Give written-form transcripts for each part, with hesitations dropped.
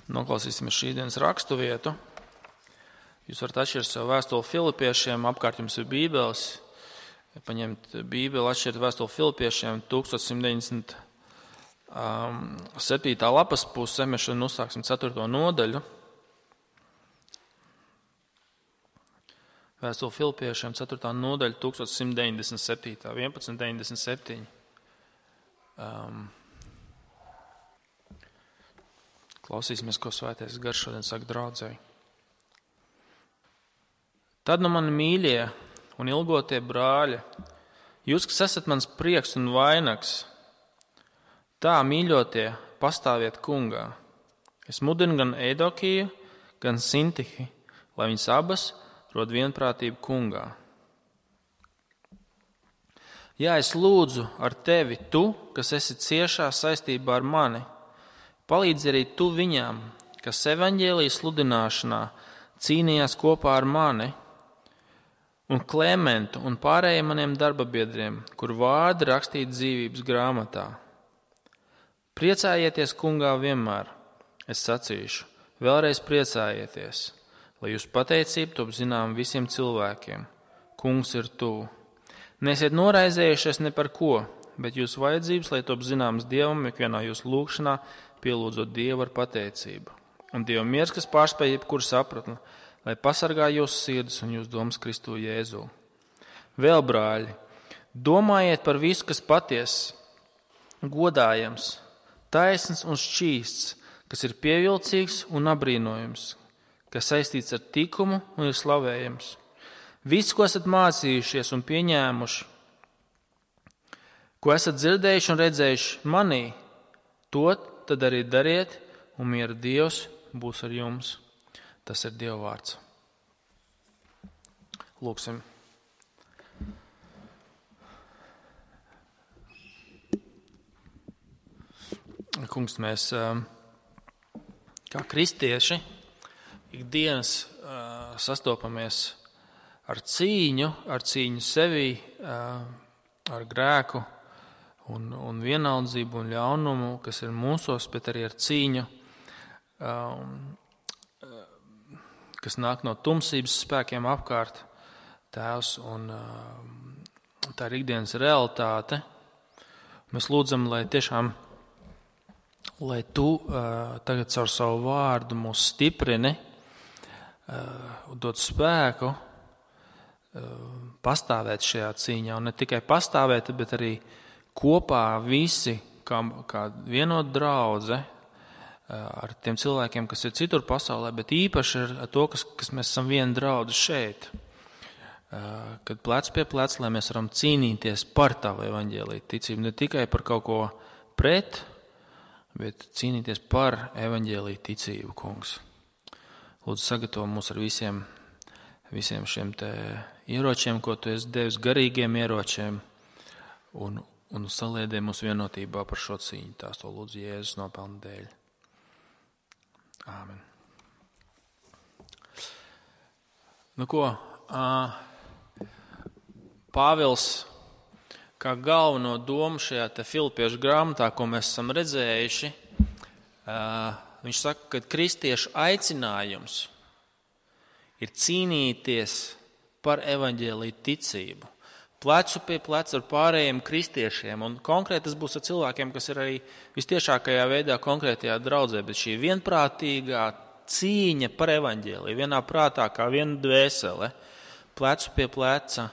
Noklausīsimies šīdienas rakstu vietu. Jūs varat atšķirt savu vēstuli Filipiešiem, apkārt jums ir bībeles. Paņemt bībeli, atšķirt vēstuli Filipiešiem 1197. Lapas puse, mēs šodien uzsāksim 4. nodaļu. Vēstuli Filipiešiem 4. nodaļa 1197. 1197. Klausīsimies, ko Svētais Gars šodien saka draudzei. Tad nu mani mīļie un ilgotie brāļi, jūs, kas esat mans prieks un vainags, tā mīļotie pastāviet kungā. Es mudinu gan Eidokiju, gan Sintihi, lai viņas abas rod vienprātību kungā. Jā, es lūdzu ar tevi, tu, kas esi ciešā saistībā ar mani, palīdzi arī tu viņām, kas evaņģēlijas sludināšanā cīnījās kopā ar mani, un Klementu un pārējiem maniem darbabiedriem, kur vārdi rakstīti dzīvības grāmatā. Priecājieties kungā vienmēr, es sacīšu, vēlreiz priecājieties, lai jūs pateicību top zinām visiem cilvēkiem. Kungs ir tuvu. Neesiet noraizējušies ne par ko, bet jūsu vajadzības, lai top zināmas Dievam, ikvienā jūsu lūgšanā, pielūdzot Dievu ar pateicību. Un Dieva miers, kas pārspēj jebkuru sapratni, lai pasargā jūsu sirdis un jūsu domas Kristu Jēzu. Vēl, brāļi, domājiet par visu, kas patiess, godājams, taisns un šķīsts, kas ir pievilcīgs un apbrīnojams, kas saistīts ar tikumu un ir slavējams. Viss, ko esat mācījušies un pieņēmuši, ko esat dzirdējuši un redzējuši manī, to tad arī dariet, un miera Dievs būs ar jums. Tas ir Dieva vārds. Lūksim. Kungs, mēs kā kristieši ikdienas sastopamies ar cīņu sevī, ar grēku un vienaldzību un ļaunumu, kas ir mūsos, bet arī ar cīņu, kas nāk no tumsības spēkiem apkārt, Tēvs, un tā ir ikdienas realitāte. Mēs lūdzam, lai tiešām, lai Tu tagad caur savu vārdu mūs stiprini, dod spēku pastāvēt šajā cīņā, un ne tikai pastāvēt, bet arī kopā visi, kā vienot draudze, ar tiem cilvēkiem, kas ir citur pasaulē, bet īpaši ar to, kas mēs esam viena draudze šeit. Kad plec pie plec, lai mēs varam cīnīties par Tavu evaņģēliju ticību, ne tikai par kaut ko pret, bet cīnīties par evaņģēliju ticību, Kungs. Lūdzu, sagatavo mūs ar visiem šiem te ieročiem, ko Tu esi devis, garīgiem ieročiem, un saliedē mūs vienotībā par šo cīņu. Tās to lūdzu Jēzus nopelna dēļ. Āmen. Nu ko, Pāvils kā galveno domu šajā te Filipiešu grāmatā, ko mēs esam redzējuši, viņš saka, ka kristiešu aicinājums ir cīnīties par evaņģēliju ticību, plecu pie pleca ar pārējiem kristiešiem, un konkrēti tas būs ar cilvēkiem, kas ir arī vistiešākajā veidā konkrētajā draudzē, bet šī vienprātīgā cīņa par evaņģēliju, vienā prātā kā viena dvēsele, plecu pie pleca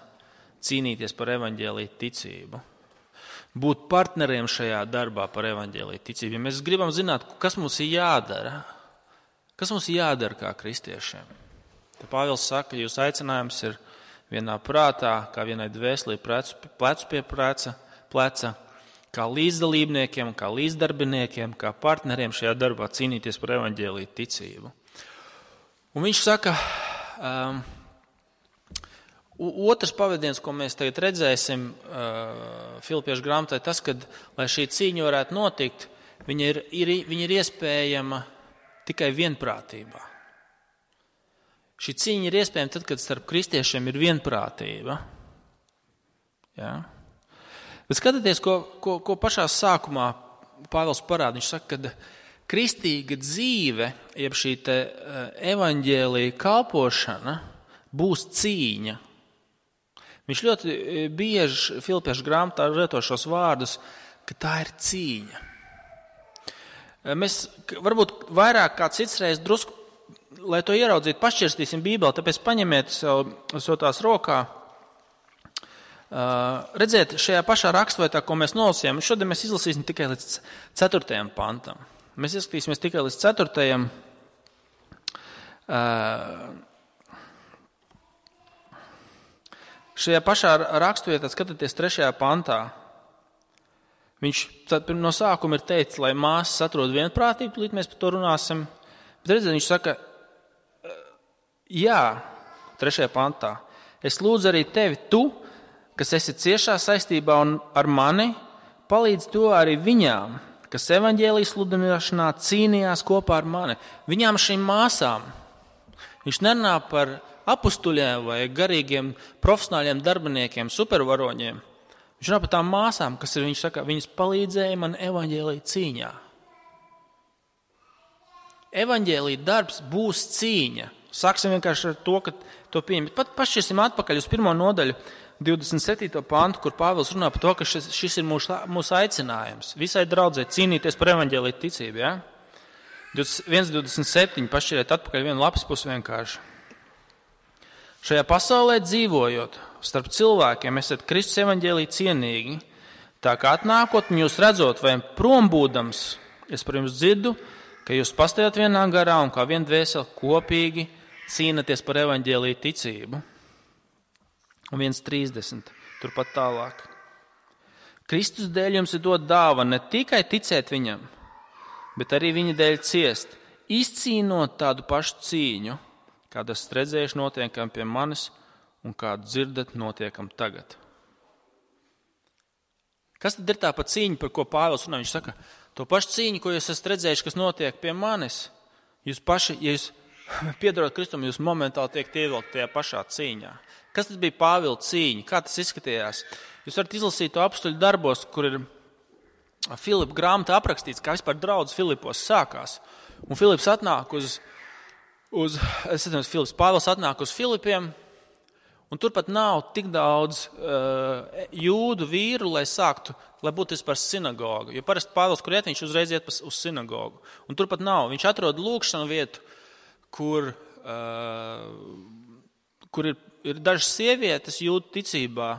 cīnīties par evaņģēliju ticību, būt partneriem šajā darbā par evaņģēliju ticību. Ja mēs gribam zināt, kas mums ir jādara kā kristiešiem. Te Pāvils saka, ka jūsu aicinājums ir vienā prātā, kā vienai dvēselī, plecu pie pleca, kā līdzdalībniekiem, kā līdzdarbiniekiem, kā partneriem šajā darbā cīnīties par evaņģēliju ticību. Un viņš saka, otrs pavadiens, ko mēs tagad redzēsim Filipiešu grāmatā, tas, ka, lai šī cīņa varētu notikt, viņa ir iespējama tikai vienprātībā. Šī cīņa ir iespējama tad, kad starp kristiešiem ir vienprātība. Ja? Bet skatieties, ko pašā sākumā Pāvils parāda. Viņš saka, kristīga dzīve, jeb šī te evaņģēlija kalpošana, būs cīņa. Viņš ļoti bieži Filipiešu grāmatā lieto šos vārdus, ka tā ir cīņa. Mēs varbūt vairāk kā citsreiz drusku, lai to ieraudzītu, pašķirstīsim Bībeli, tāpēc paņemiet sev tās rokā. Redziet, šajā pašā rakstvietā, ko mēs nolasījām, šodien mēs izlasīsim tikai līdz 4. pantam. Mēs izskatīsimies tikai līdz 4. Šajā pašā rakstvietā, skatieties 3. pantā, viņš no sākuma ir teicis, lai māsas atrod vienprātību, līdz mēs par to runāsim. Bet redziet, viņš saka, jā, 3. pantā, es lūdzu arī tevi, tu, kas esi ciešā saistībā un ar mani, palīdz to arī viņām, kas evaņģēlijas sludināšanā cīnījās kopā ar mani. Viņām šīm māsām. Viņš nerunā par apustuļiem vai garīgiem profesionāļiem darbiniekiem, supervaroņiem. Viņš runā par tām māsām, kas ir, viņš saka, viņas palīdzēja man evaņģēlija cīņā. Evaņģēlija darbs būs cīņa. Sāksim vienkārši ar to, ka to pieņem. Pat pašķirsim atpakaļ uz 1. nodaļu, 27. pantu, kur Pāvils runā par to, ka šis ir mūsu aicinājums. Visai draudzē cīnīties par evaņģēliju ticību. Ja? 1.27. pašķiriet atpakaļ vienu lapas pusi vienkārši. Šajā pasaulē dzīvojot, starp cilvēkiem esat Kristus evaņģēliju cienīgi, tā kā atnākot un jūs redzot, vai prom būdams, es par jums dzirdu, ka jūs pastāvjat vienā garā un kā vien dvēseli kopīgi cīnaties par evaņģēliju ticību. Un 1.30. Turpat tālāk. Kristus dēļ jums ir dot dāvana ne tikai ticēt viņam, bet arī viņa dēļ ciest, izcīnot tādu pašu cīņu, kādu esat redzējuši notiekam pie manis un kādu dzirdat notiekam tagad. Kas tad ir tā pa cīņa, par ko Pāvils runā? Viņš saka, to pašu cīņu, ko jūs esat redzējuši, kas notiek pie manis, jūs paši, ja jūs piedarot Kristum, jūs momentāli tiek ievilkt tajā pašā cīņā. Kas tad bija Pāvila cīņa? Kā tas izskatījās? Jūs varat izlasīt to apustuļu darbos, kur ir Filipa grāmatā aprakstīts, kā vispār draudz Filipos sākās. Un Filips atnāk Pāvils atnāk uz Filipiem, un turpat nav tik daudz jūdu vīru, lai būtu vispār sinagoga. Jo parasti Pāvils, kur iet, viņš uzreiz iet uz sinagogu. Un turpat nav. Viņš atrod lūkšanu vietu, kur ir dažas sievietes jūdu ticībā,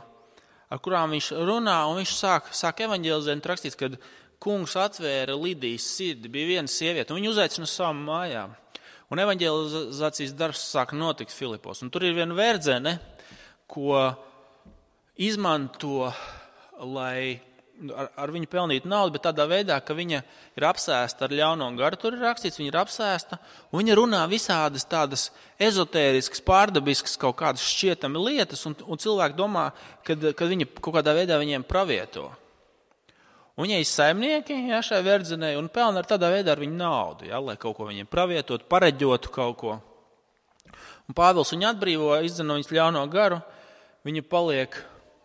ar kurām viņš runā, un viņš sāk evaņģelizēt, rakstīts, kad kungs atvēra Lidijas sirdi, bija viena sieviete, un viņu uzaicina uz savām mājām. Un evaņģelizācijas darbs sāk notikt Filipos. Un tur ir viena verdzene, ko izmanto, lai ar viņu pelnītu naudu, bet tādā veidā, ka viņa ir apsēsta ar ļauno garu, tur ir rakstīts, viņa ir apsēsta, un viņa runā visādas tādas ezotēriskas, pārdabiskas kaut kādas šķietami lietas, un cilvēki domā, kad viņa kaut kādā veidā viņiem pravieto. Un viņai ir saimnieki, ja, šai verdzenei, un pelna ar tādā veidā ar viņu naudu, ja, lai kaut ko viņiem pravietot, pareģotu kaut ko. Un Pāvils viņu atbrīvo, izdzen no viņas ļauno garu, viņa paliek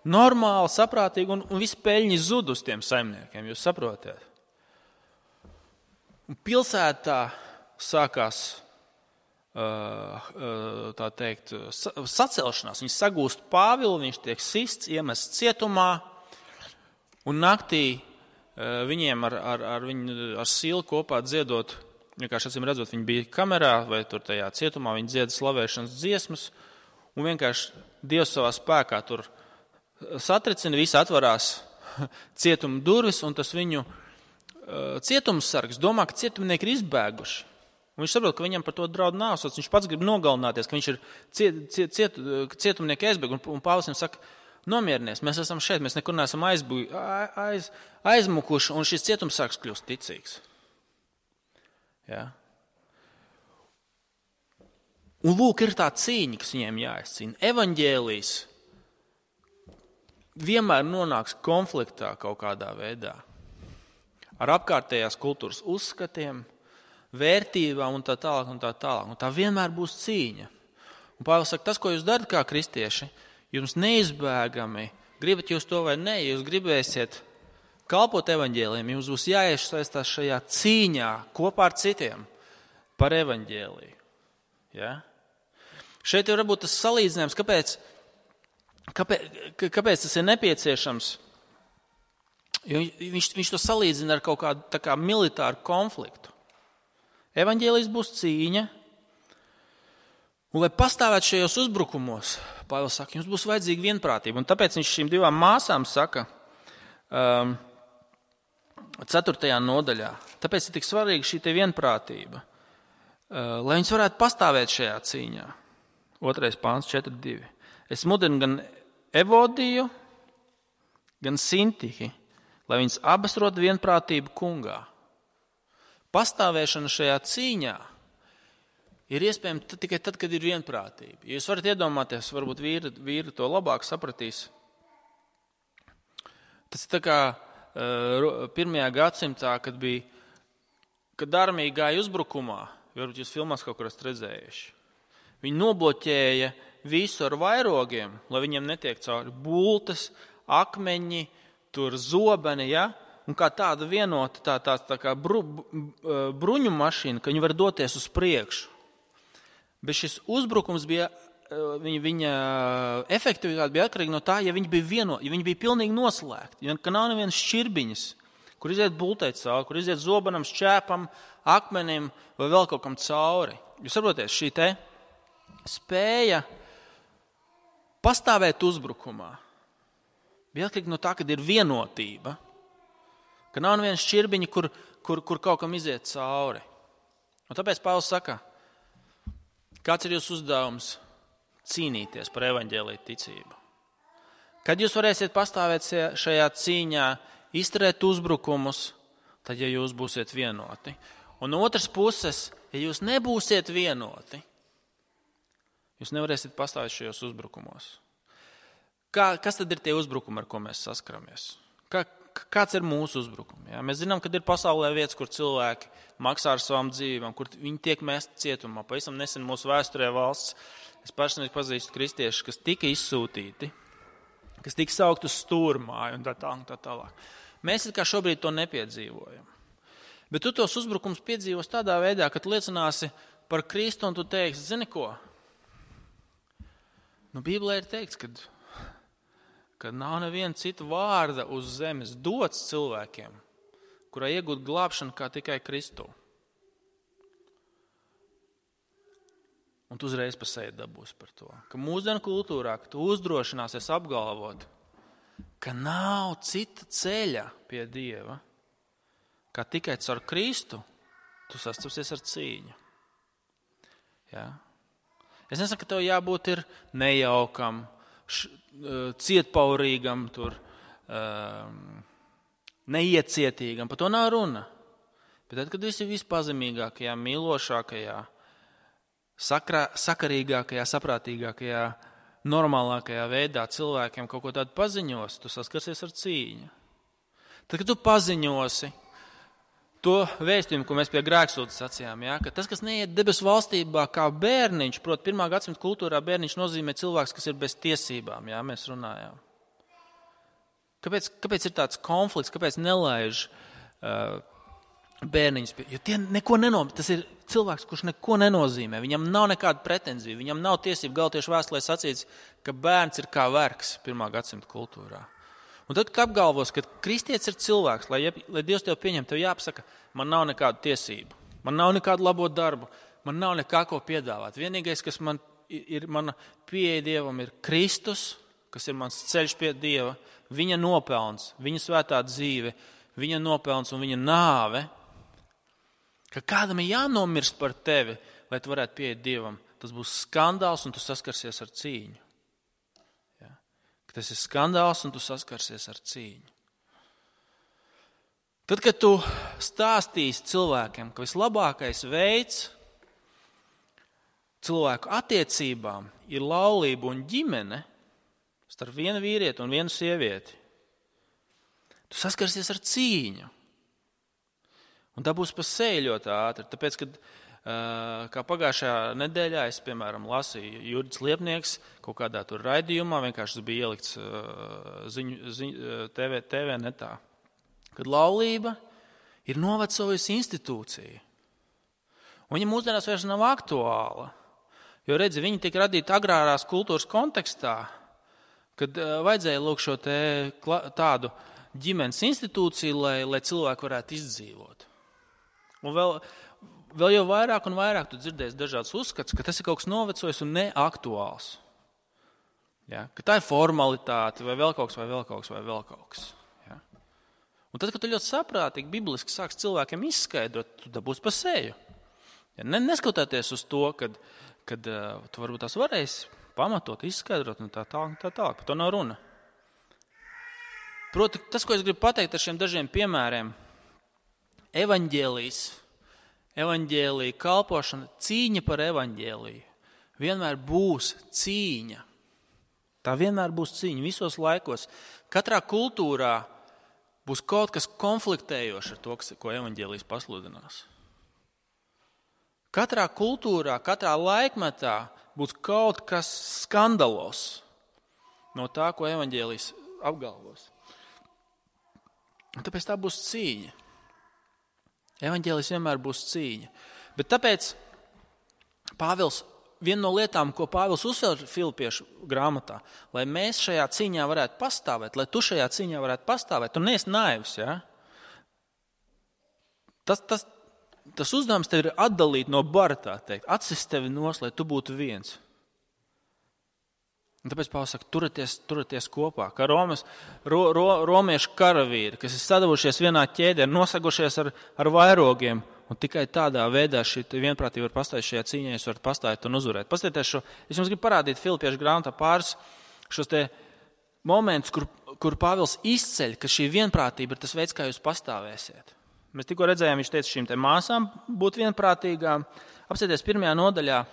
normāli, saprātīgi, un visi peļņi zud uz tiem saimniekiem, jūs saprotat. Un pilsētā sākās, tā teikt, sacelšanās. Viņi sagūst Pāvilu, viņš tiek sists, iemests cietumā, un naktī viņiem ar Silu kopā dziedot, vienkārši acīm redzot, viņi bija kamerā vai tur tajā cietumā, viņi dzieda slavēšanas dziesmas, un vienkārši Dievs savā spēkā tur satricina, visi atvarās cietuma durvis, un tas viņu cietumsargs domā, ka cietumnieki ir izbēguši. Un viņš saprot, ka viņam par to draud nāvsots, viņš pats grib nogalināties, ka viņš ir cietumnieki aizbēg, un Pāvils viņam saka, nomierinies, mēs esam šeit, mēs nekur neesam aizmukuši, un šis cietumsargs kļūst ticīgs. Ja? Un lūk, ir tā cīņa, kas viņiem jāizcīna. Evaņģēlijs vienmēr nonāks konfliktā kaut kādā veidā ar apkārtējās kultūras uzskatiem, vērtībām un tā tālāk un tā tālāk. Un tā vienmēr būs cīņa. Un Pāvils saka, tas, ko jūs darat kā kristieši, jums neizbēgami, gribat jūs to vai ne, jūs gribēsiet kalpot evaņģēlijam, jums būs jāiesaistās šajā cīņā kopā ar citiem par evaņģēliju. Ja? Šeit ir varbūt tas salīdzinājums, kāpēc tas ir nepieciešams. Jo viņš to salīdzina ar kaut kādu tā kā militāru konfliktu. Evaņģēlijs būs cīņa, un lai pastāvētu šajos uzbrukumos, Pāvils saka, jums būs vajadzīga vienprātība. Un tāpēc viņš šīm divām māsām saka 4. nodaļā, tāpēc ir tik svarīga šī te vienprātība, lai viņas varētu pastāvēt šajā cīņā. 2. pāns 4.2. Es mudinu gan Evodiju, gan Sintihi, lai viņas abas rod vienprātību kungā. Pastāvēšana šajā cīņā ir iespējama tikai tad, kad ir vienprātība. Ja jūs varat iedomāties, varbūt vīri to labāk sapratīs. Tas ir tā kā 1. gadsimtā, kad armija gāja uzbrukumā, varbūt jūs filmās kaut kur esat redzējuši. Viņi nobloķēja visu ar vairogiem, lai viņiem netiek cauri bultas, akmeņi, tur zobeni, ja? Un kā tāda vienota tā kā bruņu mašīna, ka viņi var doties uz priekšu. Bet šis uzbrukums bija, viņa efektivitāte bija atkarīga no tā, ja viņi bija vienoti, ja viņi bija pilnīgi noslēgti, ja ka nav nevienas šķirbiņas, kur iziet bultei cauri, kur iziet zobenam, šķēpam, akmenim vai vēl kaut kam cauri. Jūs saprotiet, šī te spēja pastāvēt uzbrukumā bija atkarīga no tā, kad ir vienotība, ka nav nevienas šķirbiņa, kur kaut kam iziet cauri. Un tāpēc Pāvils saka, kāds ir jūsu uzdevums cīnīties par evaņģēliju ticību? Kad jūs varēsiet pastāvēt šajā cīņā, izturēt uzbrukumus, tad, ja jūs būsiet vienoti. Un no otras puses, ja jūs nebūsiet vienoti, jūs nevarēsiet pastāvēt šajos uzbrukumos. Kas tad ir tie uzbrukumi, ar ko mēs saskaramies? Kāds ir mūsu uzbrukumi? Ja? Mēs zinām, ka ir pasaulē vietas, kur cilvēki maksā ar savām dzīvībām, kur viņi tiek mesti cietumā. Pavisam nesen mūsu vēsturē valsts, es personīgi pazīstu kristiešus, kas tika izsūtīti, kas tika saukt uz stūrmāju un tā tālāk. Mēs kā šobrīd to nepiedzīvojam. Bet tu tos uzbrukums piedzīvos tādā veidā, ka tu liecināsi par Kristu un tu teiksi, zini ko? Bībelē ir teikts, ka nav neviena cita vārda uz zemes dots cilvēkiem, kurai iegūt glābšanu kā tikai Kristu. Un tu uzreiz pa seju dabūsi par to. Ka mūsdienu kultūrā, ka tu uzdrošināsies apgalvot, ka nav cita ceļa pie Dieva, kā tikai caur Kristu, tu sastapsies ar cīņu. Ja? Es nesaku, ka tev jābūt ir nejaukam, cietpaurīgam, neiecietīgam. Par to nav runa. Bet tad, kad esi vispazemīgākajā, mīlošākajā, sakarīgākajā, saprātīgākajā, normālākajā veidā cilvēkiem kaut ko tādu paziņos, tu saskarsies ar cīņu. Tad, kad tu paziņosi to vēstījumu, ko mēs pie grēksūdzes sacījām, ja, ka tas, kas neiet debesu valstībā kā bērniņš, proti 1. gadsimta kultūrā bērniņš nozīmē cilvēks, kas ir bez tiesībām, ja, mēs runājām. Kāpēc ir tāds konflikts, kāpēc nelaiž bērniņus? Jo tie neko nenozīmē, tas ir cilvēks, kurš neko nenozīmē, viņam nav nekāda pretenzija, viņam nav tiesība galtiešu vēstulē sacīts, ka bērns ir kā vergs 1. gadsimta kultūrā. Un tad, kad apgalvos, ka kristietis ir cilvēks, lai Dievs tev pieņem, tev jāpasaka, man nav nekādu tiesību, man nav nekādu labo darbu, man nav nekā ko piedāvāt. Vienīgais, kas man ir mana pieeja Dievam, ir Kristus, kas ir mans ceļš pie Dieva, viņa nopelns, viņa svētā dzīve, viņa nopelns un viņa nāve, ka kādam ir jānomirst par tevi, lai tu varētu pieiet Dievam. Tas būs skandāls un tu saskarsies ar cīņu. Tas ir skandāls un tu saskarsies ar cīņu. Tad, kad tu stāstīsi cilvēkiem, ka vislabākais veids cilvēku attiecībām ir laulība un ģimene starp vienu vīrieti un vienu sievieti, tu saskarsies ar cīņu. Un tā būs pa seju ļoti ātri, tāpēc, kad kā pagājušajā nedēļā es, piemēram, lasīju Jurģis Liepnieks kaut kādā tur raidījumā, vienkārši tas bija ielikts TV netā. kad laulība ir novecojusi institūcija. Un viņa mūsdienās vairs nav aktuāla, jo redzi, viņa tika radīta agrārās kultūras kontekstā, kad vajadzēja lūk šo tādu ģimenes institūciju, lai cilvēki varētu izdzīvot. Un vēl jau vairāk un vairāk tu dzirdēsi dažādas uzskats, ka tas ir kaut kas novecojis un neaktuāls. Ja? Ka tā ir formalitāte vai vēl kaut kas. Ja? Un tad, kad tu ļoti saprātīgi, bibliski sāks cilvēkiem izskaidrot, tu dabūsi pa seju. Ja? Neskatoties uz to, kad tu varbūt tās varēsi pamatot, izskaidrot un tā tālāk. Par to nav runa. Proti, tas, ko es gribu pateikt ar šiem dažiem piemēriem, evaņģēlija kalpošana, cīņa par evaņģēliju vienmēr būs cīņa. Tā vienmēr būs cīņa visos laikos. Katrā kultūrā būs kaut kas konfliktējošs ar to, ko evaņģēlijs pasludinās. Katrā kultūrā, katrā laikmetā būs kaut kas skandalos no tā, ko evaņģēlijs apgalvos. Un tāpēc tā būs cīņa. Evaņģēlijs vienmēr būs cīņa. Bet tāpēc viena no lietām, ko Pāvils uzsver Filipiešu grāmatā, lai mēs šajā cīņā varētu pastāvēt, lai tu šajā cīņā varētu pastāvēt, tu neesi naivs, ja? Tas uzdevums tev ir atdalīt no bara, tā teikt, atsist tevi nos, lai tu būtu viens. Un tāpēc Pāvils saka, turieties kopā, kā romiešu karavīri, kas ir sadavušies vienā ķēdē, nosagušies ar vairogiem, un tikai tādā veidā šī vienprātība var pastāvēt šajā cīņā, jūs varat pastāvēt un uzvarēt. Paskatieties šo, es jums gribu parādīt Filipiešu grāmatā pāris šos te momentus, kur Pāvils izceļ, ka šī vienprātība ir tas veids, kā jūs pastāvēsiet. Mēs tikko redzējām, viņš teica šīm te māsām būt vienprātīgām. Apsieties 1. nodaļā,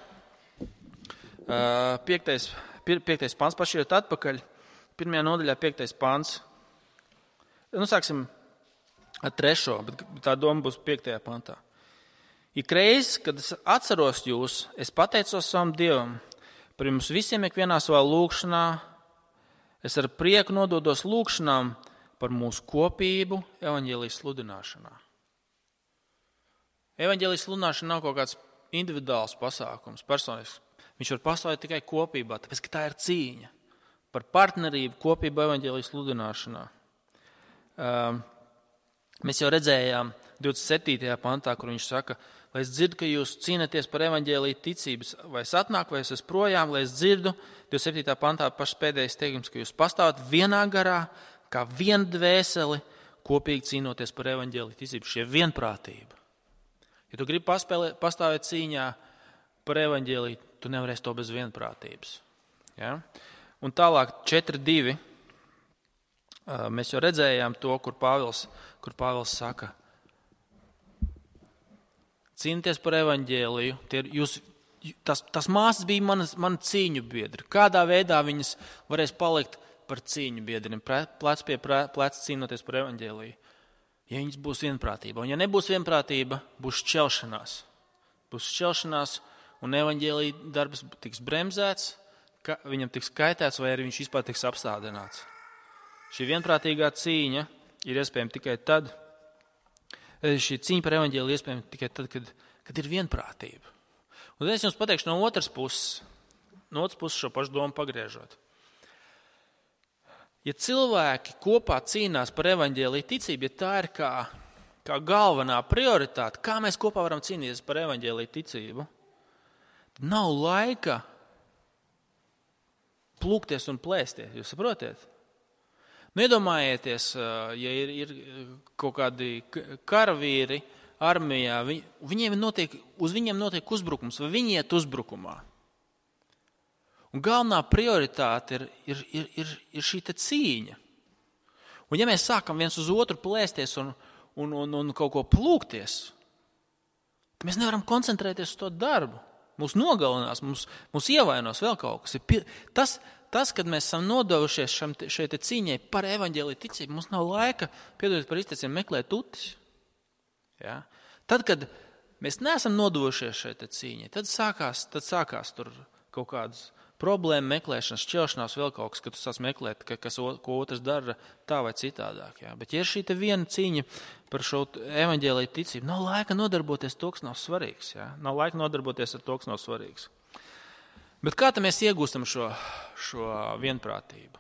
5. pants, pašķirot atpakaļ, 1. nodaļā 5. pants. Sāksim ar 3. bet tā doma būs 5. pantā. Ik reiz, kad es atceros jūs, es pateicos savam Dievam par jums visiem ikvienā savā lūgšanā. Es ar prieku nododos lūgšanām par mūsu kopību evaņģēlijas sludināšanā. Evaņģēlijas sludināšana nav kaut kāds individuāls pasākums, personisks. Viņš var pastāvēt tikai kopībā, tāpēc, ka tā ir cīņa par partnerību kopību evaņģēlijas sludināšanā. Mēs jau redzējām 27. pantā, kur viņš saka, lai es dzirdu, ka jūs cīnaties par evaņģēliju ticības, vai es atnāku, vai es esmu projām, lai es dzirdu, 27. pantā pašs pēdējais teikums, ka jūs pastāvat vienā garā, kā viena dvēseli, kopīgi cīnoties par evaņģēliju ticību, šie vienprātība. Ja tu gribi pastāvēt cīņā par evaņģēliju, tu nevarēsi to bez vienprātības. Ja? Un tālāk 4.2. Mēs jau redzējām to, kur Pāvils saka, cīnīties par evaņģēliju. Tas māsas bija mani cīņu biedri. Kādā veidā viņas varēs palikt par cīņu biedriem, plec pie pleca cīnoties par evaņģēliju? Ja viņas būs vienprātība. Un ja nebūs vienprātība, būs šķelšanās. Un evaņģēlija darbs tiks bremzēts, viņam tiks kaitēts, vai arī viņš vispār tiks apstādināts. Šī vienprātīgā cīņa ir iespējama tikai tad, šī cīņa par evaņģēliju iespējama tikai tad, kad ir vienprātība. Un es jums pateikšu no otras puses šo pašu domu pagriežot. Ja cilvēki kopā cīnās par evaņģēliju ticību, ja tā ir kā galvenā prioritāte, kā mēs kopā varam cīnīties par evaņģēliju ticību, tad nav laika plūkties un plēsties, jūs saprotiet? Iedomājieties, ja ir kaut kādi karavīri armijā, uz viņiem notiek uzbrukums, vai viņi iet uzbrukumā. Un galvenā prioritāte ir šī te cīņa. Un ja mēs sākam viens uz otru plēsties un kaut ko plūkties, tad mēs nevaram koncentrēties uz to darbu. Mūs nogalinās, mūs ievainos vēl kaut kas. Tas, kad mēs esam nodevušies šai cīņai par evaņģēliju ticību, mums nav laika, piedodiet par izteicienu, meklēt tutis. Ja? Tad, kad mēs neesam nodevušies šai cīņai, tad sākās tur kaut kādas problēma meklēšanas, šķelšanās, vēl kaut kas, ka tu sāc meklēt, ko otrs dara tā vai citādāk. Jā. Bet ja ir šī te viena cīņa par šo evaņģēliju ticību, nav laika nodarboties to, kas nav svarīgs. Jā. Nav laika nodarboties ar to, kas nav svarīgs. Bet kā tad mēs iegūstam šo vienprātību?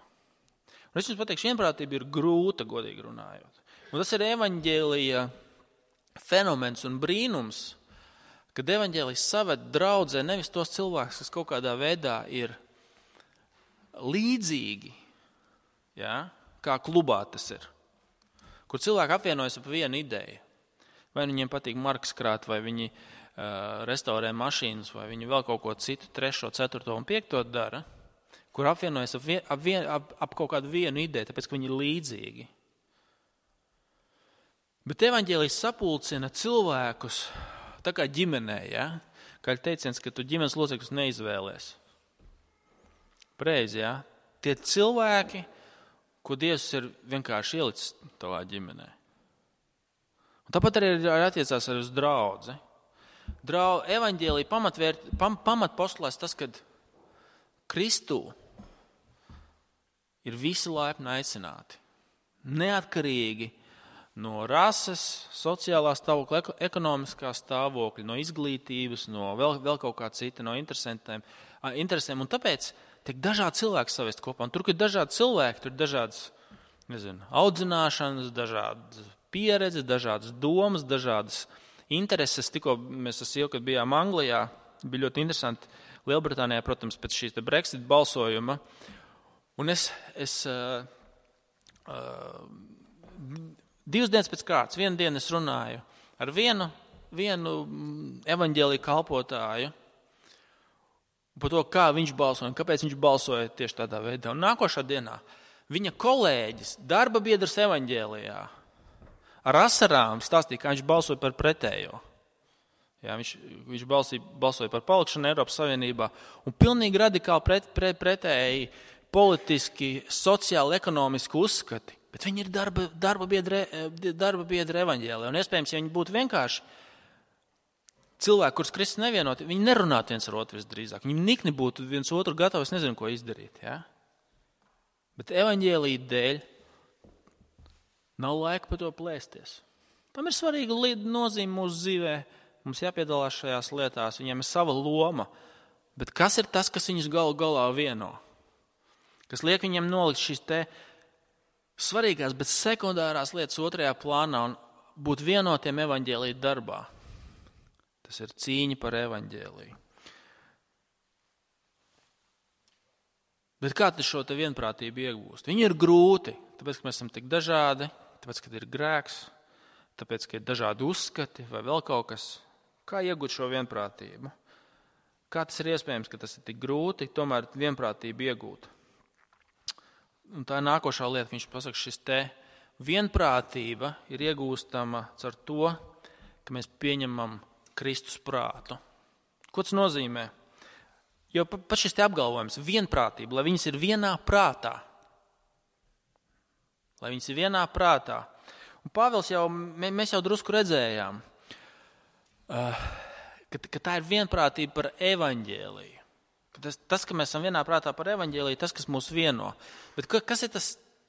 Un es jums pateikšu, vienprātība ir grūta, godīgi runājot. Un tas ir evaņģēlija fenomens un brīnums, kad evaņģēlijs saved draudzē nevis tos cilvēkus, kas kaut kādā veidā ir līdzīgi, ja, kā klubā tas ir, kur cilvēki apvienojas ap vienu ideju. Vai viņiem patīk markas krāt, vai viņi restaurē mašīnas, vai viņi vēl kaut ko citu, 3., 4. un 5. dara, kur apvienojas ap kaut kādu vienu ideju, tāpēc, ka viņi ir līdzīgi. Bet evaņģēlijs sapulcina cilvēkus tā kā ģimenē, ja? Kā ir teiciens, ka tu ģimenes locekļus neizvēlies. Pareizi, ja? Tie cilvēki, ko Dievs ir vienkārši ielicis tavā ģimenē. Un tāpat arī attiecās arī uz draudzi. Evaņģēlija pamatpostulāts tas, kad Kristū ir visi laipni aicināti. Neatkarīgi no rases, sociālā stāvokļa, ekonomiskā stāvokļa, no izglītības, no vēl kaut kā cita, no interesēm. Un tāpēc tiek dažādi cilvēki savest kopā. Un tur, kur ir dažādi cilvēki, tur ir dažādas, audzināšanas, dažādas pieredzes, dažādas domas, dažādas intereses. Tikko mēs kad bijām Anglijā, bija ļoti interesanti. Lielbritānijā, protams, pēc šīs Brexit balsojuma. Un es 2 dienas pēc kārtas, vienu dienu es runāju ar vienu evaņģēliju kalpotāju par to, kā viņš balsoja un kāpēc viņš balsoja tieši tādā veidā. Un nākošā dienā viņa kolēģis, darba biedrs evaņģēlijā, ar asarām stāstīja, kā viņš balsoja par pretējo. Jā, viņš balsoja par palikšanu Eiropas Savienībā un pilnīgi radikāli pretēji politiski, sociāli, ekonomiski uzskati. Bet viņi ir darba biedri evaņģēlijā. Un iespējams, ja viņi būtu vienkārši cilvēki, kurus Kristus nevienot, viņi nerunātu viens ar otru visdrīzāk. Viņi nikni būtu viens otru gatavi, es nezinu, ko izdarīt. Ja? Bet evaņģēlija dēļ nav laika par to plēsties. Tam ir svarīga nozīme mūsu dzīvē. Mums jāpiedalās šajās lietās, viņiem ir sava loma. Bet kas ir tas, kas viņus galu galā vieno? Kas liek viņiem nolikt šīs te svarīgās, bet sekundārās lietas otrajā plānā un būt vienotiem evaņģēlija darbā. Tas ir cīņa par evaņģēliju. Bet kā tad šo te vienprātību iegūst? Viņi ir grūti, tāpēc, ka mēs esam tik dažādi, tāpēc, ka ir grēks, tāpēc, ka ir dažādi uzskati vai vēl kaut kas. Kā iegūt šo vienprātību? Kā tas ir iespējams, ka tas ir tik grūti, tomēr vienprātību iegūt? Un tā ir nākošā lieta, viņš pasaka, šis te vienprātība ir iegūstama caur to, ka mēs pieņemam Kristus prātu. Ko tas nozīmē? Jo pat šis te apgalvojums, vienprātība, lai viņas ir vienā prātā. Lai viņas ir vienā prātā. Un Pāvils mēs jau drusku redzējām, ka tā ir vienprātība par evaņģēliju. Tas, ka mēs esam vienā prātā par evaņģēliju, tas, kas mūs vieno. Bet kas ir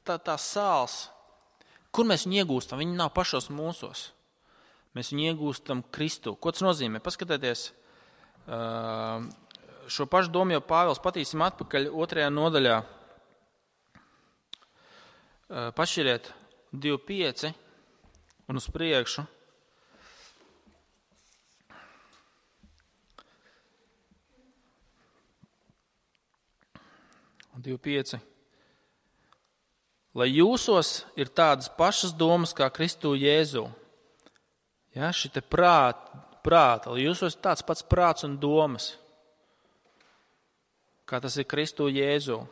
tā sāls? Kur mēs viņu iegūstam? Viņi nav pašos mūsos. Mēs viņu iegūstam Kristu. Ko tas nozīmē? Paskatieties, šo pašu domu jau Pāvils patīsim atpakaļ 2. nodaļā. Pašķiriet 2.5 un uz priekšu. 2.5. Lai jūsos ir tādas pašas domas kā Kristū Jēzu. Ja, šite prāta, lai jūsos ir tāds pats prāts un domas, kā tas ir Kristū Jēzu.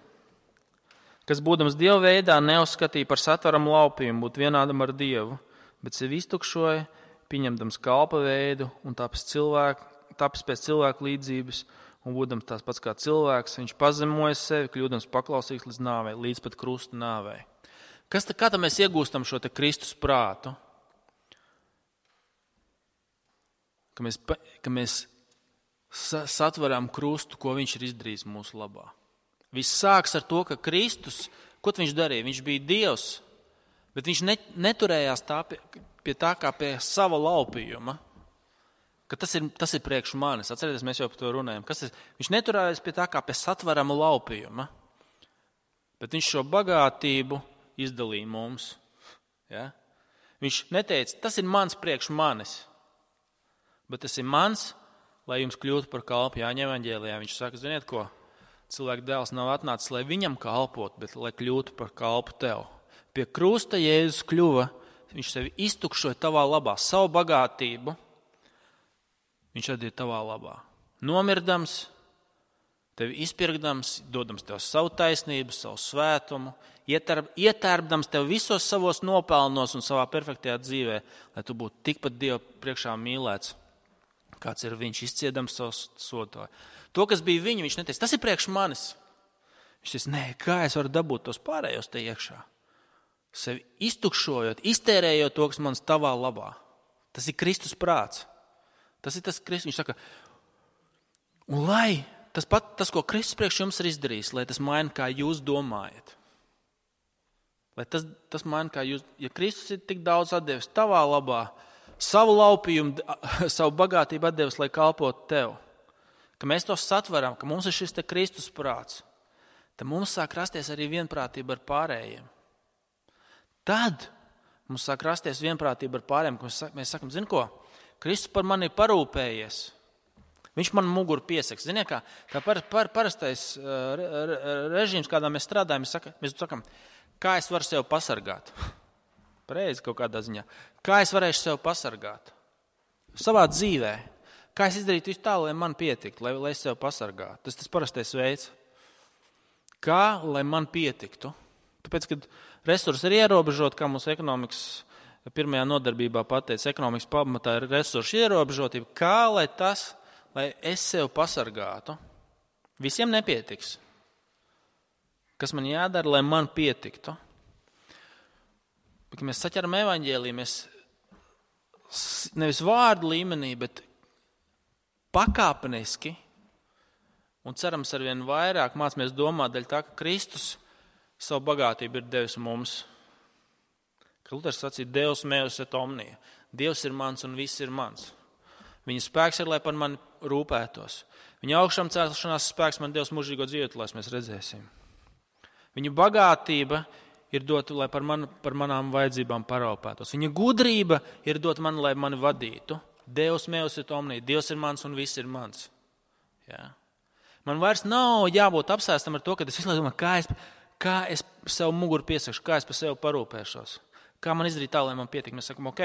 Kas būdams Dieva veidā neuzskatīja par satvaram laupījumu būt vienādam ar Dievu, bet sevi iztukšoja, pieņemdams kalpa veidu un tapis pēc cilvēku līdzības, un būdams tās pats kā cilvēks, viņš pazemoja sevi, kļūdams paklausīgs līdz nāvei, līdz pat krusta nāvei. Kā tad mēs iegūstam šo te Kristus prātu? Ka mēs satveram krustu, ko viņš ir izdarījis mūsu labā. Viss sāks ar to, ka Kristus, ko viņš darīja? Viņš bija Dievs, bet viņš neturējās pie tā kā pie sava laupījuma, ka tas ir priekš manis. Atcerieties, mēs jau par to runājam. Viņš neturējās pie tā kā pie satverama laupījuma, bet viņš šo bagātību izdalīja mums. Ja? Viņš neteica, tas ir mans priekš manis, bet tas ir mans, lai jums kļūtu par kalpu. Jāņa evaņģēlijā viņš saka, ziniet ko, cilvēka dēls nav atnācis, lai viņam kalpot, bet lai kļūtu par kalpu tev. Pie krusta Jēzus kļuva, viņš sevi iztukšoja tavā labā, savu bagātību, viņš atdīja tavā labā. Nomirdams, tevi izpirkdams, dodams tev savu taisnību, savu svētumu, ietērpdams tev visos savos nopelnos un savā perfektajā dzīvē, lai tu būtu tikpat Dieva priekšā mīlēts, kāds ir viņš, izciedams savu sodu. To, kas bija viņa, viņš neteica, tas ir priekš manis. Viņš teica, nē, kā es varu dabūt tos pārējos te iekšā? Sevi iztukšojot, iztērējot to, kas man tavā labā. Tas ir Kristus prāts. Tas ir tas Kristus. Viņš saka, un lai tas, ko Kristus priekš jums ir izdarījis, lai tas maina, kā jūs domājat. Lai tas maina, kā jūs, ja Kristus ir tik daudz atdevis tavā labā, savu laupījumu, savu bagātību atdevis, lai kalpotu tev, ka mēs to satveram, ka mums ir šis te Kristus prāts, tad mums sāk rasties arī vienprātība ar pārējiem. Tad mums sāk rasties vienprātība ar pārējiem, ka mēs sakam, zini ko, Kristus par mani ir parūpējies. Viņš man muguru piesaks. Ziniet, kā parastais režīms, kādā mēs strādājam, mēs sakam, kā es varu sev pasargāt? Pareizi kaut kādā ziņā. Kā es varēšu sev pasargāt? Savā dzīvē. Kā es izdarītu visu tā, lai man pietiktu, lai es sev pasargātu? Tas tas parastais veids. Kā, lai man pietiktu? Tāpēc, kad resursi ir ierobežoti, kā mūsu ekonomikas pirmajā nodarbībā pateica, ekonomikas pamatā ir resursu ierobežotība, kā, lai es sev pasargātu? Visiem nepietiks. Kas man jādara, lai man pietiktu? Kad mēs saķeram evaņģēliju, mēs nevis vārdu līmenī, bet pakāpeniski un cerams arvien vairāk mācāmies domāt daļ tā, ka Kristus savu bagātību ir devis mums. Ka Luters sacīja, Deus meus et omnia. Dievs ir mans un viss ir mans. Viņa spēks ir, lai par mani rūpētos. Viņa augšām celšanās spēks man Dievs mūžīgo dzīvētu, lai mēs redzēsim. Viņa bagātība ir dota, lai par manām vajadzībām paraupētos. Viņa gudrība ir dota man, lai mani vadītu. Deus meus et omnia. Dievs ir mans un viss ir mans. Jā. Man vairs nav jābūt apsēstam ar to, ka es visu laiku domāju, kā es sev muguru piesakšu, kā es par sevi parūpēšos. Kā man izdarīt tā, lai man pietik. Mēs sakam, ok,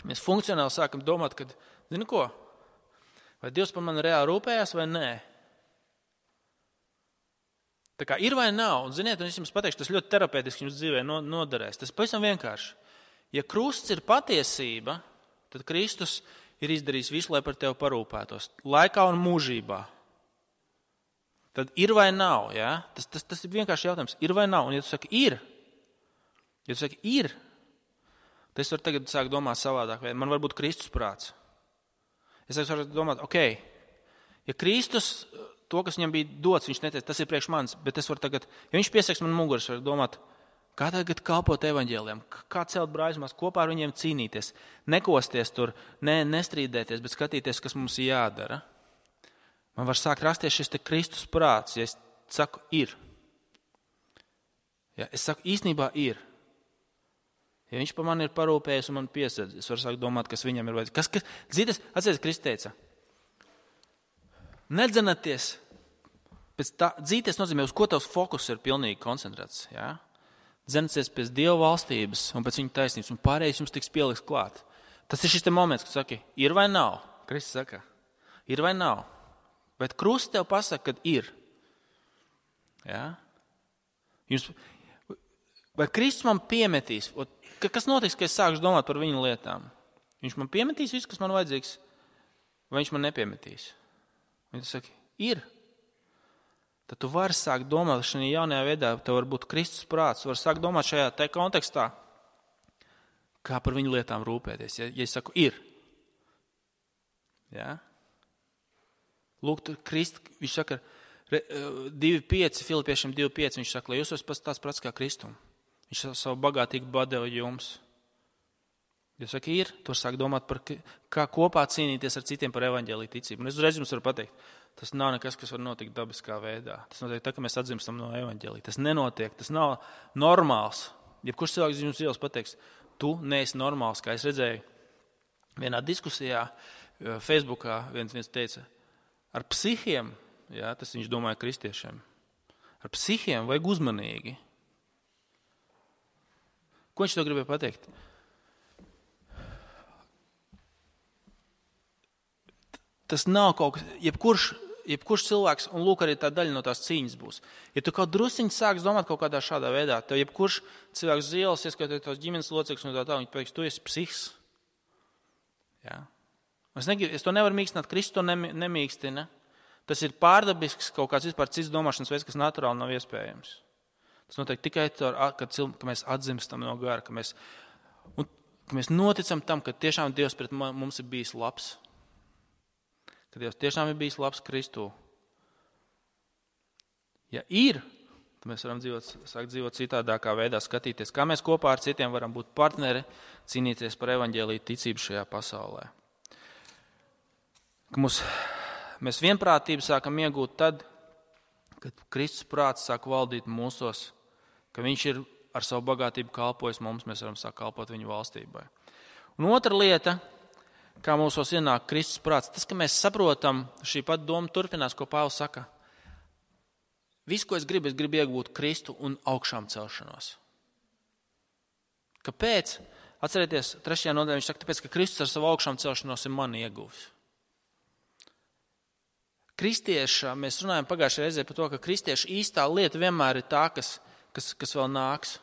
mēs funkcionāli sākam domāt, ka, zini ko, vai Dievs par mani reāli rūpējās vai nē? Tā kā ir vai nav, un ziniet, un es jums pateikšu, tas ļoti terapeitiski jums dzīvē noderēs. Tas pavisam vienkārši. Ja krusts ir patiesība, tad Kristus ir izdarījis visu, lai par tevi parūpētos. Laikā un mūžībā. Tad ir vai nav, ja? Tas ir vienkārši jautājums. Ir vai nav? Un ja tu saki ir, tad es varu tagad sākt domāt savādāk. Man var būt Kristus prāts. Es varu domāt, ok, ja Kristus, to, kas viņam bija dots, viņš neteica, tas ir priekš manis, bet es varu tagad, ja viņš piesaks man muguras, varu domāt, kā tagad kalpot evaņģēlijam, kā celt brāļus, kopā ar viņiem cīnīties, nekosties tur, nestrīdēties, bet skatīties, kas mums jādara. Man var sākt rasties šis te Kristus prāts, ja es saku ir. Ja es saku īstenībā ir. Ja viņš par mani ir parūpējis un man piesedz, es varu sākt domāt, kas viņam ir vajadzīgs. Dzīties, atcerieties, Kristus teica, nedzenaties pēc tā, dzīties nozīmē, uz ko tavs fokus ir pilnīgi koncentrēts. Ja? Dzenaties pēc Dieva valstības un pēc viņa taisnības, un pārējais jums tiks pieliks klāt. Tas ir šis te moments, kad saki, ir vai nav? Kristus saka, ir vai nav? Bet krusts tev pasaka, kad ir. Ja? Vai Kristus man piemetīs? Kas notiks, kad es sākšu domāt par viņa lietām? Viņš man piemetīs visu, kas man vajadzīgs, vai viņš man nepiemetīs? Viņš saka, ir. Tad tu vari sākt domāt šajā jaunajā veidā, tev var būt Kristus prāts, tu vari sākt domāt šajā te kontekstā, kā par viņu lietām rūpēties. Ja es saku, ir. Ja? Lūk, tur viņš saka, 2.5, Filipiešiem 2.5, viņš saka, lai jūs esat tāds prats kā Kristum. Viņš savu bagātīgu badeva jums. Jūs saka, tur sāk domāt par, kā kopā cīnīties ar citiem par evaņģēliju ticību. Un es uzreiz jums varu pateikt, tas nav nekas, kas var notikt dabiskā veidā. Tas notiek tā, ka mēs atzimstam no evaņģēlija. Tas nenotiek, tas nav normāls. Jebkurš cilvēks jums ielas pateiks, tu neesi normāls, kā es redzēju vienā diskusijā Facebookā, viens teica, ar psihiem, jā, tas viņš domāja kristiešiem, ar psihiem vajag uzmanīgi. Ko viņš to gribēja pateikt? Tas nav kaut kas, jebkurš cilvēks, un lūk, arī tā daļa no tās cīņas būs. Ja tu kaut drusciņi sāks domāt kaut kādā šādā veidā, tev jebkurš cilvēks uz ielas, ieskatot tās ģimenes locekļus un tā, viņi pateiks, tu esi psihs. Jā. Es to nevaru mīkstināt, Kristus to nemīkstina. Tas ir pārdabisks kaut kāds vispār cits domāšanas veids, kas naturāli nav iespējams. Tas notiek tikai ka mēs atzimstam no gara, ka mēs noticam tam, ka tiešām Dievs pret mums ir bijis labs. Ka Dievs tiešām ir bijis labs Kristū. Ja ir, tad mēs varam sākt dzīvot citādākā veidā, skatīties, kā mēs kopā ar citiem varam būt partneri, cīnīties par evaņģēliju ticību šajā pasaulē. Ka mēs vienprātību sākam iegūt tad, kad Kristus prāts sāk valdīt mūsos, ka viņš ir ar savu bagātību kalpojis mums, mēs varam sākt kalpot viņu valstībai. Un otra lieta, kā mūsos ienāk Kristus prāts, tas, ka mēs saprotam, šī pat doma turpinās, ko Pāvils saka. Visu, ko es gribu iegūt Kristu un augšām celšanos. Kāpēc? Atcerieties, 3. nodaļā viņš saka, tāpēc, ka Kristus ar savu augšām celšanos ir mani ieguvis. Kristieša, mēs runājam pagājušajā reizē par to, ka kristieša īstā lieta vienmēr ir tā, kas vēl nāks.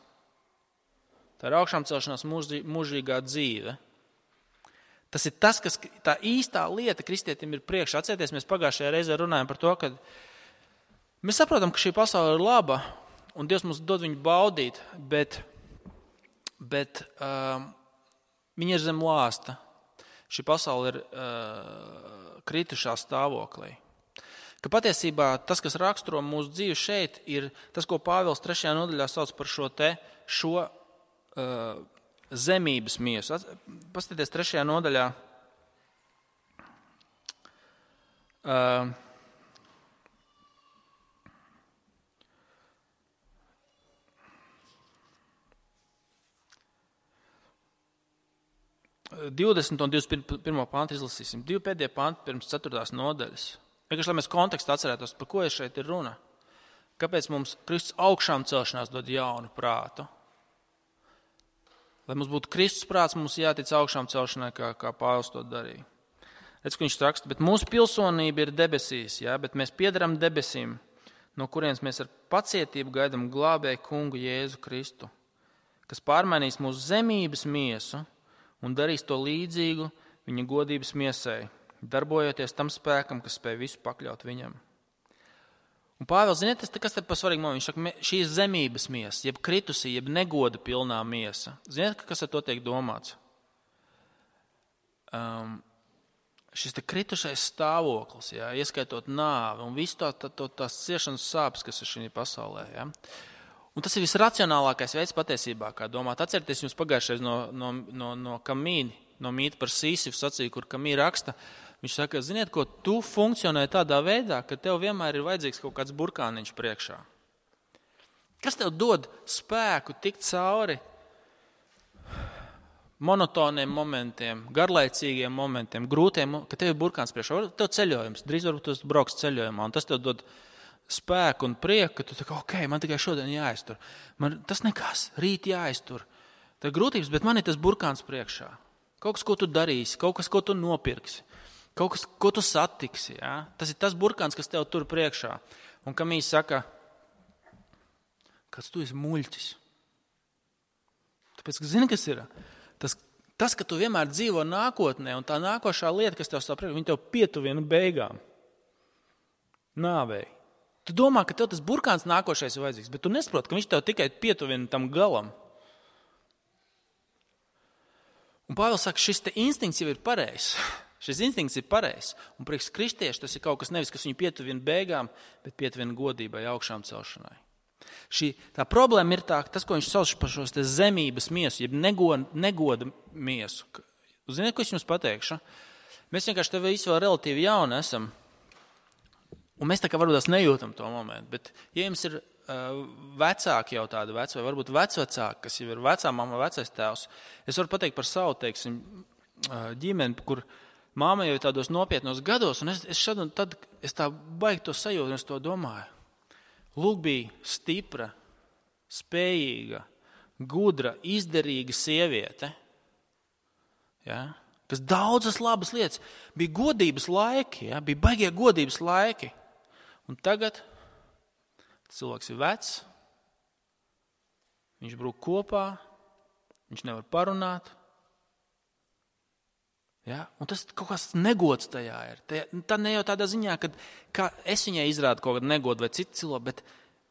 Tā ir augšām celšanās mūžīgā dzīve. Tas ir tas, kas tā īstā lieta kristietim ir priekšā. Atcerieties, mēs pagājušajā reizē runājam par to, ka mēs saprotam, ka šī pasaule ir laba un Dievs mums dod viņu baudīt, bet viņa ir zem lāsta. Šī pasaule ir kritušā stāvoklī. Ka patiesībā tas, kas raksturo mūsu dzīvi šeit, ir tas, ko Pāvils 3. nodaļā sauc par šo zemības miesu. Paskatieties 3. nodaļā. Uh, 20 un 21. pantu izlasīsim. 2 pēdējie panti pirms 4. nodaļas. Vienkārši, lai mēs kontekstu atcerētos, par ko šeit ir runa. Kāpēc mums Kristus augšām celšanās dod jaunu prātu? Lai mums būtu Kristus prāts, mums jātic augšām celšanai, kā Pāvils to darīja. Redz, ka viņš raksta, bet mūsu pilsonība ir debesīs, bet mēs piedaram debesīm, no kurienes mēs ar pacietību gaidām glābēju kungu Jēzu Kristu, kas pārmainīs mūsu zemības miesu un darīs to līdzīgu viņa godības miesai, darbojoties tam spēkam, kas spēj visu pakļaut viņam. Un Pāvils, ziniet, kas te par svarīgu momentu? Viņš saka, šī ir zemības miesa, jeb kritusī, jeb negoda pilnā miesa. Ziniet, kas ar to tiek domāts? Šis te kritušais stāvoklis, ieskaitot nāvi un visu tās ciešanas sāpes, kas ir šī pasaulē. Un tas ir visracionālākais veids patiesībā, kā domāt. Atcerieties jums pagājušais no Kamīni, no mīta par Sīsifu sacīja, kur Kamī raksta. Viņš saka, ziniet, ko tu funkcionē tādā veidā, ka tev vienmēr ir vajadzīgs kaut kāds burkāniņš priekšā. Kas tev dod spēku tikt cauri monotoniem momentiem, garlaicīgiem momentiem, grūtiem, ka tev ir burkāns priekšā. Tev ceļojums, drīz varbūt tu brauks ceļojumā, un tas tev dod spēku un prieku, ka tu tā kā, ok, man tikai šodien jāiztur. Man tas nekas, rīt jāiztur. Tā ir grūtības, bet man ir tas burkāns priekšā. Kaut kas, ko tu darīsi, kaut kas, ko tu nopirksi. Kaut kas, ko tu satiksi, Tas ir tas burkāns, kas tev tur priekšā. Un Kamīs saka, kas tu esi muļķis. Tāpēc, ka zini, kas ir? Tas, ka tu vienmēr dzīvo nākotnē, un tā nākošā lieta, kas tev stāv priekšā, viņa tev pietuvina beigām. Nāvei. Tu domā, ka tev tas burkāns nākošais ir vajadzīgs, bet tu nesaproti, ka viņš tev tikai pietuvina tam galam. Un Pāvils saka, šis te instinkts jau ir pareizs. Šis instinkts ir pareizs. Un priekš kristieši tas ir kaut kas nevis, kas viņu pietuvina beigām, bet pietuvina godībai, augšām celšanai. Tā problēma ir tas, ko viņš sauc par šos te zemības miesu, jeb negoda miesu. Ziniet, ko es jums pateikšu? Mēs vienkārši te visi vēl relatīvi jauni esam. Un mēs tā kā varbūt tās nejūtam to momentu. Bet, ja jums ir vecāki jau tādi veci, vai varbūt vecvecāki, kas jau ir vecā mamma, vecais tēvs, es varu pateikt par savu, teiksim, ģimeni, kur māma jau ir tādos nopietnos gados, un es šad un tad tā baigi to sajūtu, un es to domāju. Lūk, bija stipra, spējīga, gudra, izdarīga sieviete, ja, kas daudzas labas lietas, bija godības laiki, ja, bija baigie godības laiki. Un tagad cilvēks ir vecs, viņš brūk kopā, viņš nevar parunāt. Ja? Un tas kaut kas negods tajā ir. Tā ne jau tādā ziņā, ka es viņai izrādu kaut kādu negodu vai citu cilvēku,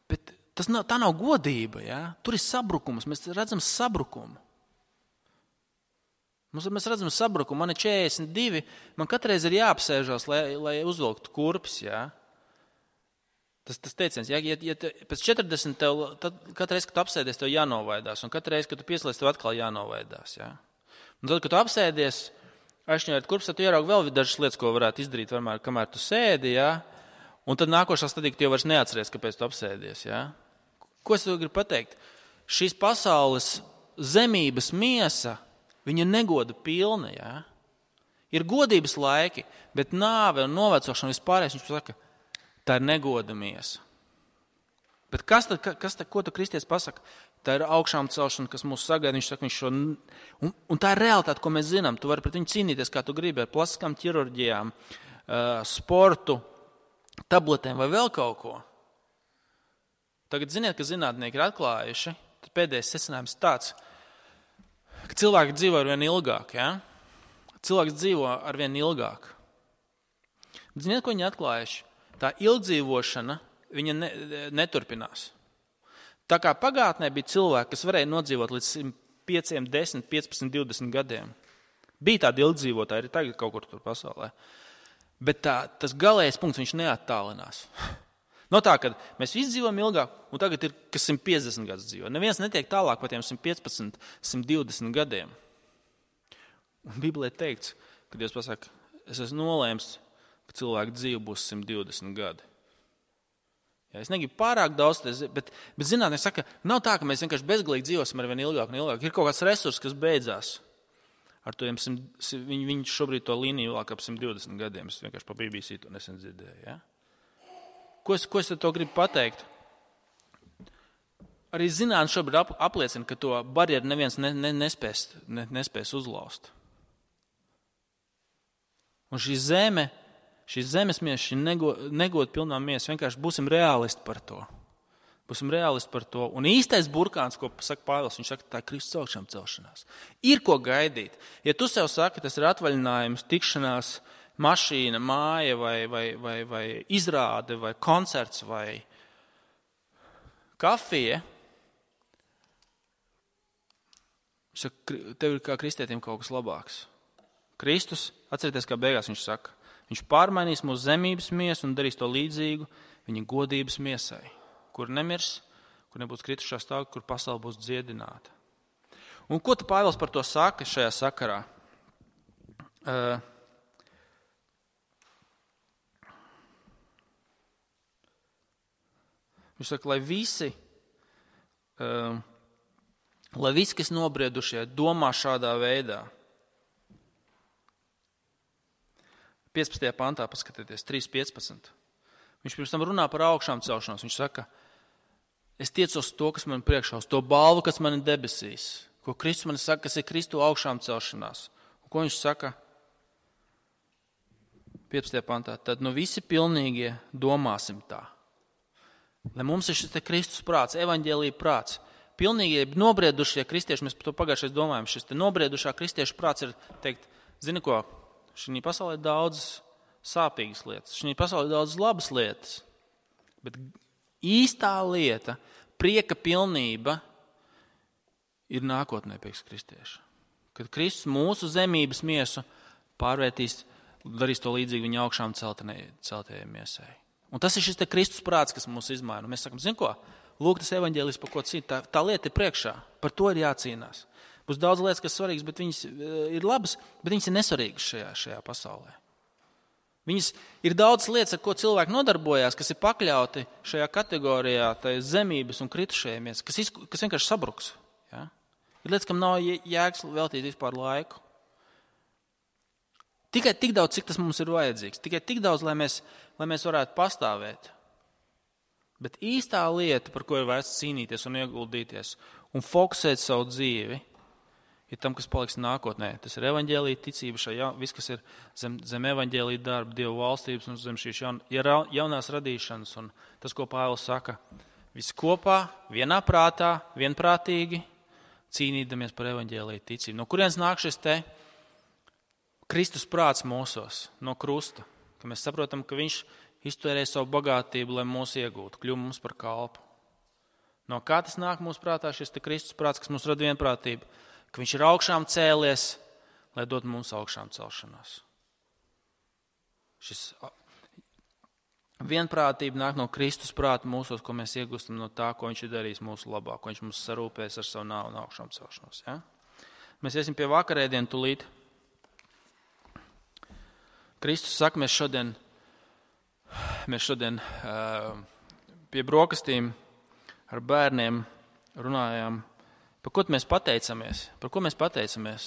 bet tā nav godība. Ja? Tur ir sabrukums, mēs redzam sabrukumu. Mēs redzam sabrukumu, man ir 42, man katreiz ir jāapsēžās, lai uzvilktu kurpes. Ja? Tas teiciens, ja pēc 40 tev, tad katru reizi, kad tu apsēdies, tev jānovaidās, un katru reizi, kad tu pieslēdz, tev atkal jānovaidās. Ja? Un tad, kad tu apsēdies, aizšņojot kurpes, tad tu ieraugi vēl dažas lietas, ko varētu izdarīt, kamēr tu sēdi, ja? Un tad nākošā stadija, ka tu jau vairs neatceries, kāpēc tu apsēdies. Ja? Ko es gribu pateikt? Šīs pasaules zemības miesa, viņa negoda pilna. Ja? Ir godības laiki, bet nāve un novecošana vispārējais, viņš saka, tā ir negoda miesa. Bet ko tu kristietis pasaka? Tā ir augšām celšana, kas mūs sagaida. Viņš saka, un tā ir realitāte, ko mēs zinām. Tu vari pret viņu cīnīties, kā tu gribi, ar plastiskām ķirurģijām, sportu, tabletēm vai vēl kaut ko. Tagad ziniet, ka zinātnieki ir atklājuši, tad pēdējais secinājums tāds, ka cilvēki dzīvo arvien ilgāk. Ja? Cilvēks dzīvo arvien ilgāk. Ziniet, ko viņi atklājuši? Tā ilgdzīvošana, viņa neturpinās. Tā kā pagātnē bija cilvēki, kas varēja nodzīvot līdz 5, 10, 15, 20 gadiem. Bija tādi ilgdzīvotāji, arī tagad kaut kur tur pasaulē. Bet tas galējais punkts, viņš neattālinās. No tā, kad mēs visi dzīvojam ilgāk, un tagad ir, kas 150 gadus dzīvo. Neviens netiek tālāk par tiem 115, 120 gadiem. Un Bībelē teikts, kad Dievs pasaka, es esmu nolēms, ka cilvēku dzīve būs 120 gadi. Ja, es negribu pārāk daudz, bet zinātnieki saka, nav tā, ka mēs vienkārši bezgalīgi dzīvosim ar vien ilgāk un ilgāk. Ir kaut kāds resurs, kas beidzās. Ar to viņi šobrīd to līniju vēl ap 120 gadiem. Es vienkārši pa BBC to nesen dzirdēju. Ja? Ko es to gribu pateikt? Arī zinātne šobrīd apliecina, ka to barjeru neviens nespēs uzlauzt. Un šī zemes miesa, šī negoda pilnā miesa, vienkārši būsim reālisti par to. Būsim reālisti par to. Un īstais burkāns, ko saka Pāvils, viņš saka, tā ir Kristus augšām celšanās. Ir ko gaidīt. Ja tu sev saki, tas ir atvaļinājums, tikšanās, mašīna, māja vai izrāde vai koncerts vai kafija, tev ir kā kristietim kaut kas labāks. Kristus, atcerieties, kā beigās viņš saka, viņš pārmainīs mūsu zemības miesu un darīs to līdzīgu viņa godības miesai, kur nemirs, kur nebūs kritušā stāvokļa, kur pasaule būs dziedināta. Un ko tu Pāvils par to saka šajā sakarā? Viņš saka, lai visi, kas nobriedušie, domā šādā veidā. 15. pantā paskatieties, 3.15. Viņš pirms tam runā par augšām celšanos. Viņš saka, es tiecos to, kas man priekšā, uz to balvu, kas man ir debesīs. Ko Kristus man saka, kas ir Kristu augšām celšanās. Un ko viņš saka? 15. pantā. Tad visi pilnīgie domāsim tā. Lai mums ir šis te Kristus prāts, evaņģēlija prāts. Pilnīgie nobriedušie kristieši, mēs par to pagājušais domājam, šis te nobriedušā kristiešu prāts ir teikt, zini ko, šī pasaulē ir daudz sāpīgas lietas, šī pasaulē ir daudz labas lietas, bet īstā lieta, prieka pilnība ir nākotnē pēc kristieša. Kad Kristus mūsu zemības miesu pārvērtīs darīs to līdzīgi viņa augšām celtajai miesai. Un tas ir šis te Kristus prāts, kas mūs izmaina. Mēs sakam, zin ko? Lūk, tas evaņģēlijs, par ko cīnīt. Tā lieta ir priekšā. Par to ir jācīnās. Būs daudz lietas, kas svarīgas, bet viņas ir labas, bet viņas ir nesvarīgas šajā pasaulē. Viņas ir daudz lietas, ar ko cilvēki nodarbojās, kas ir pakļauti šajā kategorijā, tai zemības un kritušajamies, kas vienkārši sabruks. Ja? Ir lietas, kam nav jēgas veltīt vispār laiku. Tikai tik daudz, cik tas mums ir vajadzīgs. Tikai tik daudz, lai mēs varētu pastāvēt. Bet īstā lieta, par ko ir vērts cīnīties un ieguldīties un fokusēt savu dzīvi, ir tam, kas paliks nākotnē. Tas ir evaņģēlija ticība, viss, kas ir zem evaņģēlija darba, Dieva valstības un zem šīs jaunās radīšanas. Un tas, ko Pāvils saka, visi kopā, vienā prātā, vienprātīgi cīnīdamies par evaņģēlija ticību. No kurienes nāk šis te Kristus prāts mūsos, no krusta, ka mēs saprotam, ka viņš iztērēja savu bagātību, lai mūs iegūtu, kļūm mums par kalpu. No kā tas nāk mūsu prātā, šis te Kristus prāts, kas mums rada vienprātību, ka viņš ir augšām cēlies, lai dot mums augšām celšanās. Šis vienprātība nāk no Kristus prāta mūsos, ko mēs iegūstam no tā, ko viņš ir darījis mūsu labā, ko viņš mums sarūpēs ar savu nāvu un augšām celšanos. Ja? Mēs iesim pie vakarēdienu tulīt. Kristus saka, mēs šodien pie brokastīm ar bērniem runājām, par ko mēs pateicamies. Par ko mēs pateicamies?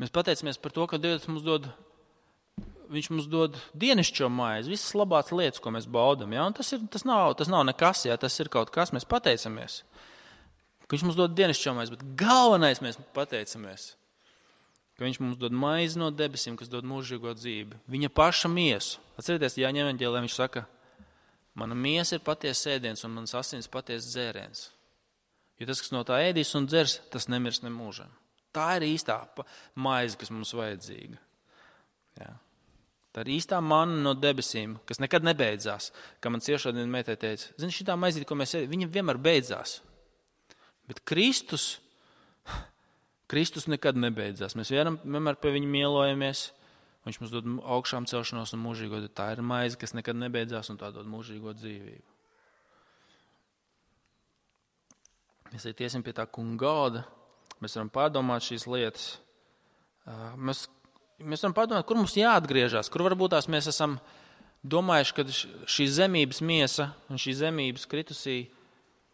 Mēs pateicamies par to, ka Dievs viņš mums dod dienišķo maizi, visas labās lietas, ko mēs baudam. Ja? Un tas nav nekas, ja? Tas ir kaut kas, mēs pateicamies. Ka viņš mums dod dienišķo maizi, bet galvenais mēs pateicamies, ka viņš mums dod maizi no debesīm, kas dod mūžīgo dzīvi. Viņa paša miesu. Atcerieties, Jāņa evaņģēlijā viņš saka, mana miesa ir patiesa ēdiens un manas asins patiesa dzēriens. Jo tas, kas no tā ēdīs un dzers, tas nemirs nemūžam. Tā ir īstā maize, kas mums vajadzīga. Jā. Tā ir īstā manna no debesīm, kas nekad nebeidzās. Kā man ciešādien meitai teica, zini, šitā maizīt, ko mēs ēdam, viņa vienmēr beidzās. Bet Kristus nekad nebeidzās. Mēs vienmēr pie viņa mielojamies. Viņš mums dod augšām celšanos un mūžīgo. Tā ir maize, kas nekad nebeidzās un tā dod mūžīgo dzīvību. Mēs iesim pie tā kunga galda. Mēs varam pārdomāt šīs lietas. Mēs varam pārdomāt, kur mums jāatgriežas, kur varbūt tās mēs esam domājuši, ka šī zemības miesa un šī zemības kritusī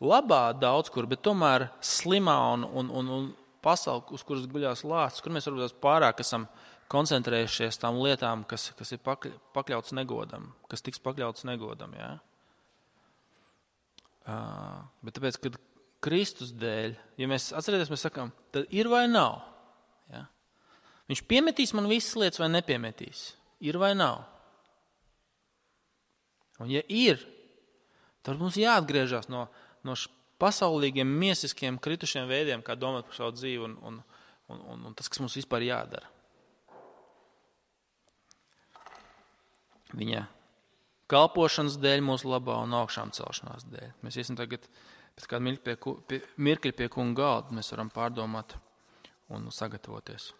labā daudz kur, bet tomēr slimā un pasauli, uz kuras guļās lācis, kur mēs varbūt pārāk esam koncentrējušies tām lietām, kas ir pakļauts negodam, kas tiks pakļauts negodam. Ja? Bet tāpēc, kad Kristus dēļ, ja mēs atcerieties, mēs sakām, tad ir vai nav? Ja? Viņš piemetīs man visas lietas vai nepiemetīs? Ir vai nav? Un ja ir, tad mums jāatgriežas no pasaulīgiem, miesiskiem, kritušiem veidiem, kā domāt par savu dzīvi un tas, kas mums vispār jādara. Viņa kalpošanas dēļ mūsu labā un augšām celšanās dēļ. Mēs iesim tagad pēc kādu mirkļa pie kunga galda, mēs varam pārdomāt un sagatavoties.